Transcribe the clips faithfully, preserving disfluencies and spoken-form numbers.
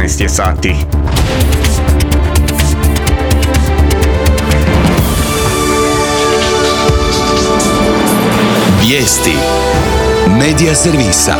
šesnaest je sati. Vijesti Medija servisa.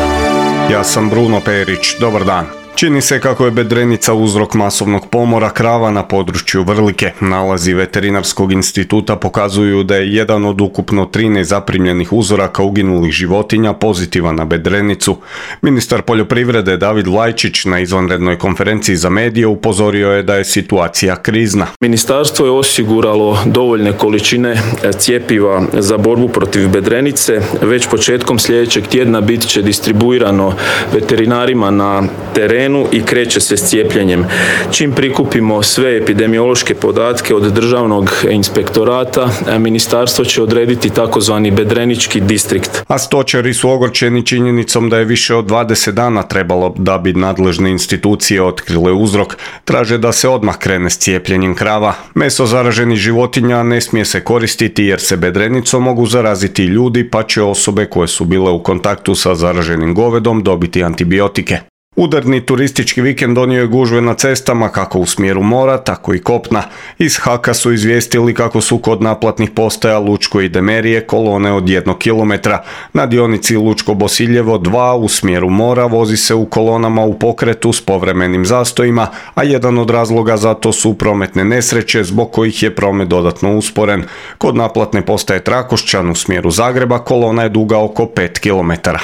Ja sam Bruno Perić, dobar dan. Čini se kako je bedrenica uzrok masovnog pomora krava na području Vrlike. Nalazi Veterinarskog instituta pokazuju da je jedan od ukupno trinaest zaprimljenih uzoraka uginulih životinja pozitivan na bedrenicu. Ministar poljoprivrede David Lajčić na izvanrednoj konferenciji za medije upozorio je da je situacija krizna. Ministarstvo je osiguralo dovoljne količine cjepiva za borbu protiv bedrenice. Već početkom sljedećeg tjedna bit će distribuirano veterinarima na terenu i kreće se s cijepljenjem. Čim prikupimo sve epidemiološke podatke od Državnog inspektorata, ministarstvo će odrediti takozvani bedrenički distrikt. A stočari su ogorčeni činjenicom da je više od dvadeset dana trebalo da bi nadležne institucije otkrile uzrok. Traže da se odmah krene s cijepljenjem krava. Meso zaraženih životinja ne smije se koristiti jer se bedrenicom mogu zaraziti ljudi, pa će osobe koje su bile u kontaktu sa zaraženim govedom dobiti antibiotike. Udarni turistički vikend donio je gužve na cestama kako u smjeru mora, tako i kopna. Iz Haka su izvijestili kako su kod naplatnih postaja Lučko i Demerije kolone od jednog kilometra. Na dionici Lučko-Bosiljevo dva u smjeru mora vozi se u kolonama u pokretu s povremenim zastojima, a jedan od razloga za to su prometne nesreće zbog kojih je promet dodatno usporen. Kod naplatne postaje Trakošćan u smjeru Zagreba kolona je duga oko pet kilometara.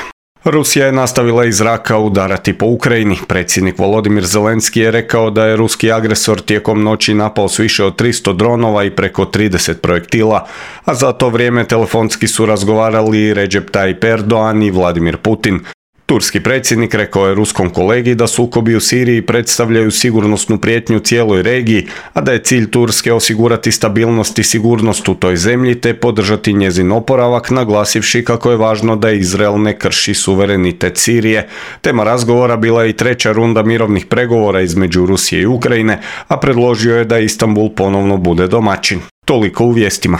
Rusija je nastavila iz zraka udarati po Ukrajini. Predsjednik Volodimir Zelenski je rekao da je ruski agresor tijekom noći napao s više od tristo dronova i preko trideset projektila, a za to vrijeme telefonski su razgovarali Recep Tayyip Erdogan i Vladimir Putin. Turski predsjednik rekao je ruskom kolegi da sukobi u Siriji predstavljaju sigurnosnu prijetnju cijeloj regiji, a da je cilj Turske osigurati stabilnost i sigurnost u toj zemlji te podržati njezin oporavak, naglasivši kako je važno da Izrael ne krši suverenitet Sirije. Tema razgovora bila je i treća runda mirovnih pregovora između Rusije i Ukrajine, a predložio je da Istanbul ponovno bude domaćin. Toliko u vijestima.